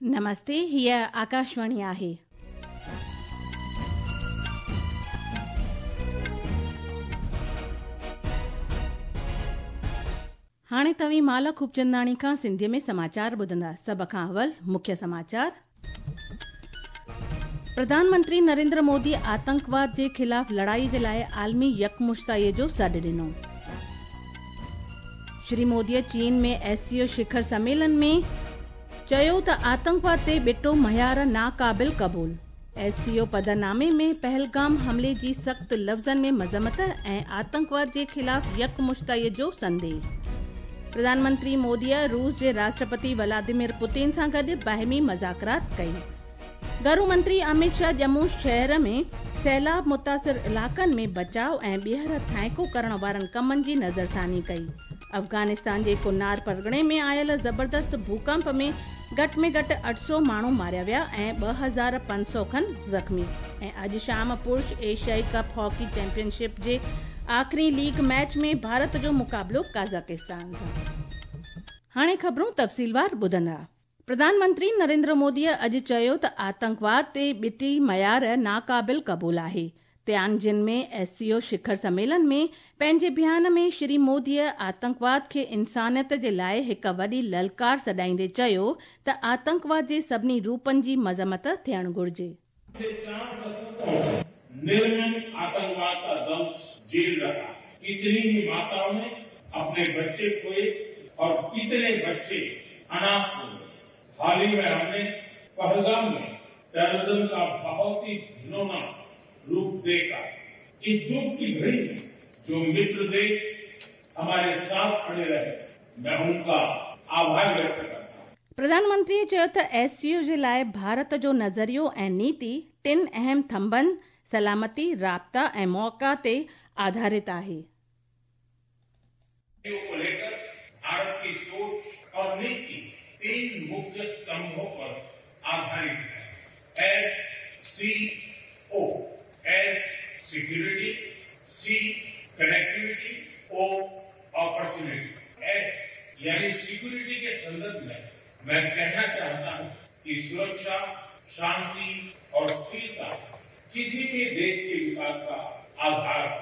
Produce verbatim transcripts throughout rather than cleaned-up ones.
नमस्ते, हीअ आकाशवाणी आहे। हाणे तव्हीं माला खूबचंदाणी खां सिंधीअ में समाचार ॿुधंदा। सभ खां अवल मुख्य समाचार। प्रधानमंत्री नरेंद्र मोदी आतंकवाद जे ख़िलाफ़ लड़ाई जे लाइ आलमी यकमुश्ताईअ जो सॾु ॾिनो। श्री मोदीअ चीन में एस सी ओ शिखर सम्मेलन में चयो त आतंकवाद ते ॿिटो मयार नाक़ाबिल क़बूल। एस सी ओ पदनामे में पहलगाम हमले जी सख़्त लफ़्ज़नि में मज़म्मत ऐं आतंकवाद जे ख़िलाफ़ यकमुश्ताईअ जो संदेह। प्रधानमंत्री मोदीअ रूस जे राष्ट्रपति व्लादिमीर पुतिन सां गॾु बाहिमी मज़ाकरात कई। घरू मंत्री अमित शाह जम्मू शहर में सैलाब मुतासिर इलाइक़नि में बचाव ऐं ॿीहर थाइको करण वारनि कमनि जी नज़रसानी कई। अफ़गानिस्तान जे कुनार परगणे में आयल ज़बरदस्त भूकंप में घटि में घटि अठ सौ माण्हू मारिया विया ऐं ॿ हज़ार पंज सौ खनि ज़ख़्मी। ऐं अॼु शाम पुरुष एशियाई कप हॉकी चैंपियनशिप जे आख़िरी लीग मैच में भारत जो मुक़ाबिलो कज़ाकिस्तान सां। हाणे ख़बरूं तफ़सीलवार ॿुधंदा। प्रधानमंत्री नरेंद्र मोदीअ अॼु चयो त आतंकवाद ते ॿिटी मयार नाक़ाबिल क़बूल आहे। तियानजिन में एस सी ओ शिखर सम्मेलन में पंहिंजे बयान में श्री मोदीअ आतंकवाद खे इंसानियत जे लाइ हिकु वॾी ललकार सॾाईंदे चयो त आतंकवाद जे सभिनी रूपनि जी मज़म्मत थियणु घुरिजे। निर्मम आतंकवाद का दंश झेल रहा। कितनी ही माताओं ने अपने बच्चे खोए और कितने बच्चे अनाथ हो गए। हाल ही में हमने पहलगाम में टेररिज्म का बहुत ही घिनौना रूप देखा। इस दुख की घड़ी में जो मित्र देश हमारे साथ खड़े रहे, मैं उनका आभार व्यक्त करता हूं। प्रधानमंत्री चयो त एस सी ओ जे लाइ भारत जो नज़रियो ऐं नीति टिनि अहम थंभनि सलामती, राब्ता ऐं मौक़ा ते आधारित आहे। को लेकर भारत की सोच और नीति तीन मुख्य स्तंभों पर आधारित है। S C O, S security, C connectivity, O opportunity. S यानी सिक्योरिटी के संदर्भ में मैं कहना चाहता हूं कि सुरक्षा, शांति और स्थिरता किसी भी देश के विकास का आधार है।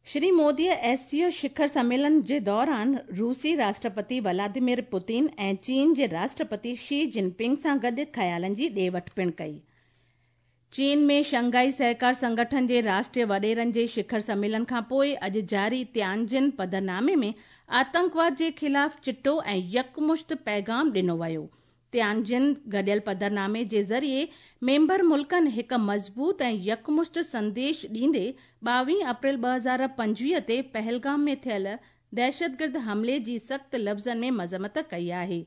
श्री मोदीअ एस सी ओ शिखर सम्मेलन जे दौरान रूसी राष्ट्रपति व्लादिमीर पुतिन ऐं चीन जे राष्ट्रपति शी जिनपिंग सां गॾु ख़यालनि जी ॾे वठि पिणु कई। चीन में शंघाई सहकार संगठन जे राष्ट्रीय वॾेरनि जे शिखर सम्मेलन खां पोइ अॼु जारी तियानजिन पदनामे में आतंकवाद जे ख़िलाफ़ चिटो ऐं यकमुश्त पैगाम ॾिनो वियो। तियानजिन गॾियल पदनामे जे ज़रिए मेंबर मुल्कनि हिकु मज़बूत ऐं यकमुश्त संदेश ॾींदे ॿावीह अप्रैल ॿ हज़ार पंजवीह ते पहलगाम में थियल दहशतगर्द हमले जी सख़्त लफ़्ज़नि में मज़म्मत कई आहे।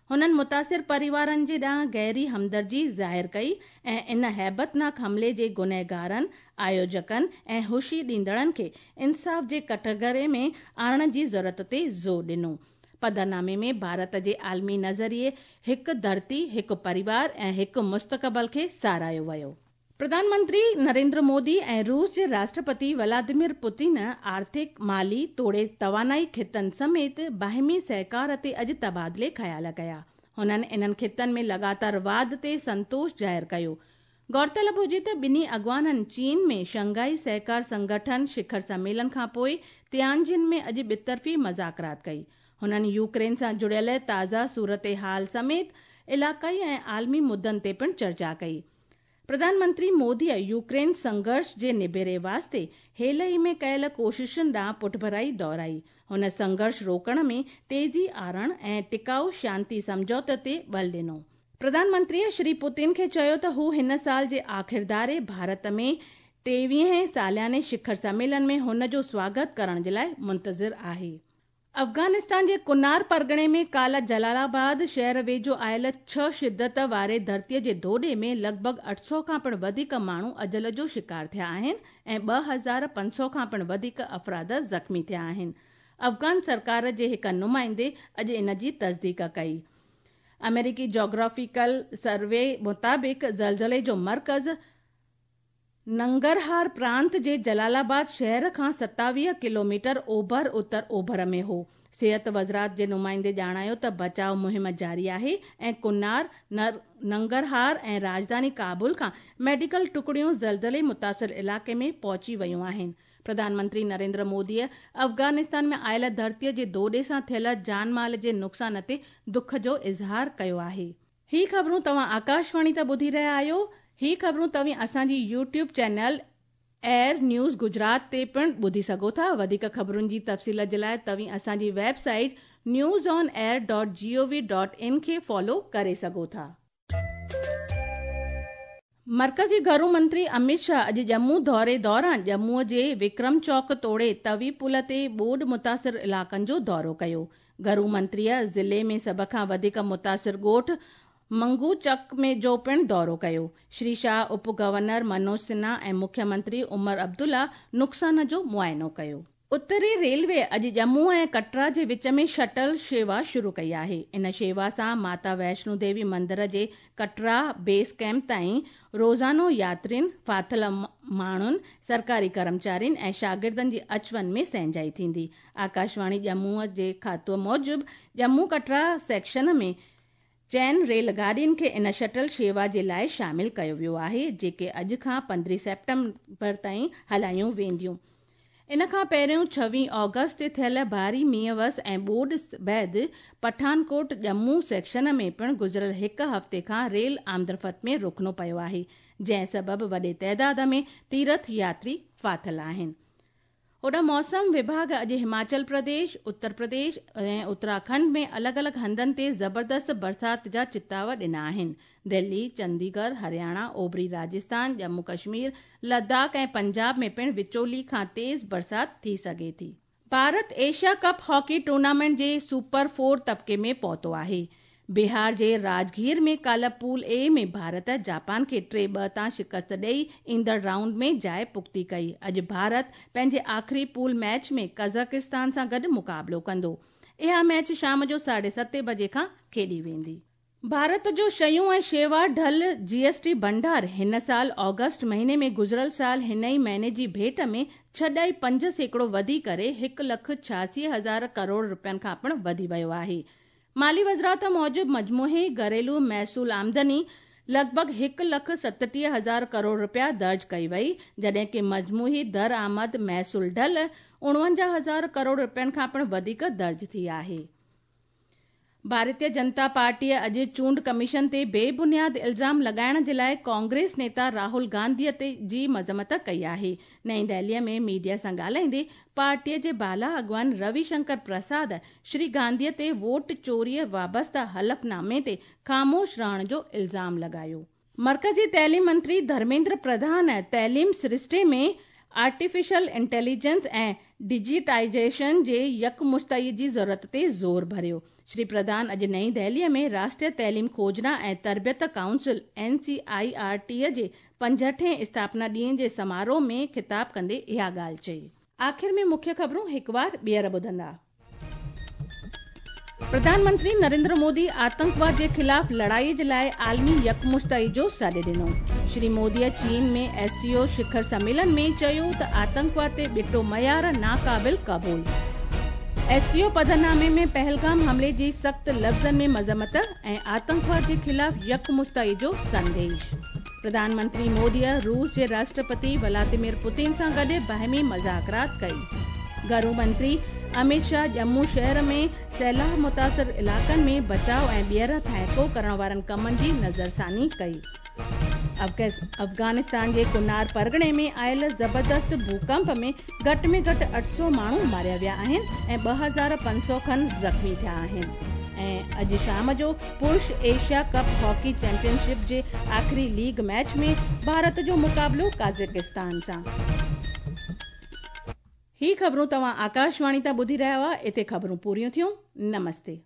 हुननि मुतासिर परिवारनि जे ॾांहुं गहरी हमदर्दी ज़ाहिर कई ऐं इन हैबतनाक हमले जे गुनहगारनि, आयोजकनि ऐं हुशी ॾींदड़नि खे इंसाफ़ जे कटघरे में आणण जी ज़रूरत ते ज़ोर ॾिनो। पदनामे में भारत जे आलमी नज़रिए हिकु धरती, हिकु परिवार ऐं हिकु मुस्तक़बिल खे सराहियो वियो। प्रधानमंत्री नरेंद्र मोदी ऐं रूस जे राष्ट्रपति व्लादिमीर पुतिन आर्थिक, माली तोड़े तवानाई ख़ितनि समेत बाहिमी सहकार ते अॼु तबादिले ख़्याल कया। हुननि इन्हनि ख़ितनि में लगातार वाध ते संतोष ज़ाहिर कयो। गौरतलब हुजे त ॿिन्ही अॻवाननि चीन में शंघाई सहकार संगठन शिखर सम्मेलन खां पोइ तियानजिन में अॼु ॿितरफ़ी मज़ाकरात कई। हुननि यूक्रेन सां जुड़ियल ताज़ा सूरत हाल समेत इलाइक़ाई ऐं आलमी मुद्दनि ते पिणु चर्चा कई। प्रधानमंत्री मोदीअ यूक्रेन संघर्ष जे निबेरे वास्ते हेल ई में कयल कोशिशुनि ॾांहुं पुठभराई दोहराई। हुन संघर्ष रोकण में तेज़ी आणण ऐं टिकाऊ शांति सम्झौते ते बल ॾिनो। प्रधानमंत्रीअ श्री पुतिन खे चयो त हू हिन साल जे आख़िर धारे भारत में टेवीहें सालियाने शिखर सम्मेलन में हुन जो स्वागत करण जे लाइ मुंतज़िर आहे। अफ़गानिस्तान जे कुनार परगणे में काल्ह जलालाबाद शहर वेझो आयल छह शिद्दत वारे धरतीअ जे धोॾे में लॻभॻ अठ सौ खां पिणु वधीक माण्हू अजल जो शिकार थिया आहिनि ऐं ॿ हज़ार पंज सौ खां पिणु वधीक अफ़राद ज़ख़्मी थिया आहिनि। अफ़गान सरकार जे हिकु नुमाइंदे अॼु इन जी तस्दीक कई। अमेरिकी जोग्राफिकल सर्वे मुताबिक़ ज़लज़ले जो मर्कज़ नंगरहार प्रांत जे जलालाबाद शहर खां सतावीह किलोमीटर ओभर उत्तर ओभर में हो। सेहत वज़ारत जे नुमाइंदे ॼाणायो त बचाव मुहिम जारी आहे ऐं कुनार, नंगरहार ऐं राजधानी काबुल खां मेडिकल टुकड़ियूं ज़लज़ले मुतासिर इलाइक़े में पहुची वयूं आहिनि। प्रधानमंत्री नरेंद्र मोदीअ अफ़गानिस्तान में आयल धरतीअ जे दोॾे सां थियल जान माल जे नुक़सान ते दुख जो इज़हार कयो आहे। ही ख़बरूं तव्हां आकाशवाणी ते ॿुधी रहिया आहियो। ही ख़बरूं तव्हीं असांजी YouTube channel air news Gujarat ते पिणु ॿुधी सघो था। वधीक ख़बरुनि जी तफ़सील जे लाइ तव्हीं असांजी website news on air dot G O V dot in खे फॉलो करे सघो था। मर्कज़ी घरू मंत्री अमित शाह अॼु जम्मू दौरे दौरान जम्मूअ जे विक्रम चौक तोड़े तवी पुल ते ॿोॾ मुतासिर इलाइक़नि जो दौरो कयो। घरू मंत्रीअ ज़िले में सभ खां वधीक मुतासिर ॻोठ मंगूचक में जो पिणु दौरो कयो। श्री शाह उप गवर्नर मनोज सिन्हा ऐं मुख्यमंत्री उमर अब्दुल्ला नुक़सान जो मुआइनो कयो। उत्तरी रेलवे अॼु जम्मू ऐं कटरा जे विच में शटल शेवा शुरू कई आहे। इन शेवा सां माता वैष्णो देवी मंदिर जे कटरा बेस कैंप ताईं रोज़ानो यात्रियुनि, फाथिल माण्हुनि, सरकारी कर्मचारियुनि ऐं शागिर्दनि जी अच वञ में सहंजाई थींदी। आकाशवाणी जम्मूअ जे खातो मूजिबि जम्मू कटरा सेक्शन में चइनि रेलगाॾियुनि खे इन शटल शेवा जे लाइ शामिल कयो वियो आहे, जेके अॼु खां पंद्रहं सेप्टेम्बर ताईं हलायूं वेंदियूं। इन खां पहिरियों छवीह ऑगस्ट ते थियल भारी मींहं वस ऐं ॿोॾ बाद पठानकोट जम्मू सेक्शन में पिणु गुज़िरियल हिकु हफ़्ते खां रेल आमदरफ़्त में रुकणो पियो आहे, जंहिं सबबु वॾे तादाद में तीर्थ यात्री फाथिल आहिनि। होॾां मौसम विभाग अॼु हिमाचल प्रदेश, उत्तर प्रदेश ऐं उत्तराखंड में अलॻि अलॻि हंधनि ते ज़बरदस्त बरसात जा चिताव ॾिना आहिनि। दिल्ली, चंडीगढ़, हरियाणा, ओभरी राजस्थान, जम्मू कश्मीर, लद्दाख ऐं पंजाब में पिणु विचोली खां तेज़ बरसात थी सघे थी। Bharat Asia cup hockey tournament जे सुपर फोर तबके में पहुतो आहे। बिहार जे राजगीर में काल्ह पूल ए में भारत जापान खे टे ॿ तां शिकस्त ॾेई ईंदड़ राउंड में जाइ पुख़्ती कई। अॼु भारत पंहिंजे आख़िरी पूल मैच में कज़ाकिस्तान सां गॾु मुक़ाबिलो कंदो। इहा मैच शाम जो साढे सते बजे खां खेॾी वेंदी। भारत जो शयूं ऐं शेवा ढल जीएसटी भंडार हिन साल ऑगस्ट महीने में गुज़िरियल साल हिन ई महीने जी भेंट में छह ॾाई पंज सैकड़ो वधी करे हिकु लख छियासी हज़ार करोड़ रुपयनि खां पिणु वधी वियो आहे। माली वज़ारत मूजिबि मजमूई घरेलू महसूल आमदनी लॻभॻि हिकु लख सतटीह हज़ार करोड़ रुपया दर्ज कई वई, जॾहिं की मजमूई दरआमद महसूल ढल उणवंजाह हज़ार करोड़ रुपयनि खां पिणु वधीक दर्ज थी आहे। भारतीय जनता पार्टीअ अॼु चूंड कमीशन ते बेबुनियाद इल्ज़ाम लॻाइण जे लाइ कांग्रेस नेता राहुल गांधीअ ते जी मज़म्मत कई आहे। नई दिल्लीअ में मीडिया सां ॻाल्हाईंदे पार्टीअ जे बाला अॻवान रविशंकर प्रसाद श्री गांधीअ ते वोट चोरीअ वाबस्ता हलफनामे ते ख़ामोश रहण जो इल्ज़ाम लॻायो। मर्कज़ी तइलीम मंत्री धर्मेंद्र प्रधान तइलीम सृष्टे में आर्टिफिशियल इंटेलिजेंस ऐं डिजिटाइजेशन जे यकमुश्तई जी ज़रूरत ते ज़ोर भरियो। श्री प्रधान अॼु नई दिल्लीअ में राष्ट्रीय तइलीम खोजना ऐं तरबियत council N C I R T जे पंजहठें स्थापना ॾींहं जे समारोह में ख़िताब कंदे इहा ॻाल्हि चई। आख़िर में मुख्य ख़बरूं हिकु बार ॿीहर ॿुधंदा। प्रधानमंत्री नरेंद्र मोदी आतंकवाद जे ख़िलाफ़ लड़ाई जे लाइ आलमी यकमुश्तई जो सॾु ॾिनो। श्री मोदीअ चीन में एससीओ शिखर सम्मेलन में चयो त आतंकवाद ते ॿिटो मयार नाक़ाबिल क़बूल। एससीओ पधरनामे में पहलगाम हमले जी सख़्त लफ़्ज़नि में मज़म्मत ऐं आतंकवाद जे ख़िलाफ़ यकमुश्तई जो संदेश। प्रधानमंत्री मोदीअ रूस जे राष्ट्रपति व्लादिमीर पुतिन सां गॾु बाहिमी मुज़ाकरात कई। घरू मंत्री अमित शाह जम्मू शहर में सैलाब मुतासिर इलाइक़नि में बचाव ऐं ॿीहर थाइको करण वारनि कमनि जी नज़रसानी कई। अफ़गानिस्तान जे कुनार परगणे में आयल ज़बरदस्त भूकंप में घटि में घटि अठ सौ माण्हू मारिया विया आहिनि ऐं ॿ हज़ार पंज सौ खनि ज़ख़्मी थिया आहिनि। ऐं अॼु शाम जो पुरुष एशिया कप हॉकी चैंपियनशिप जे आख़िरी लीग मैच में भारत जो मुक़ाबिलो काज़ाकिस्तान सां। ही ख़बरूं तव्हां आकाशवाणी तां ॿुधी रहिया हुआ। हिते ख़बरूं पूरियूं थियूं। नमस्ते।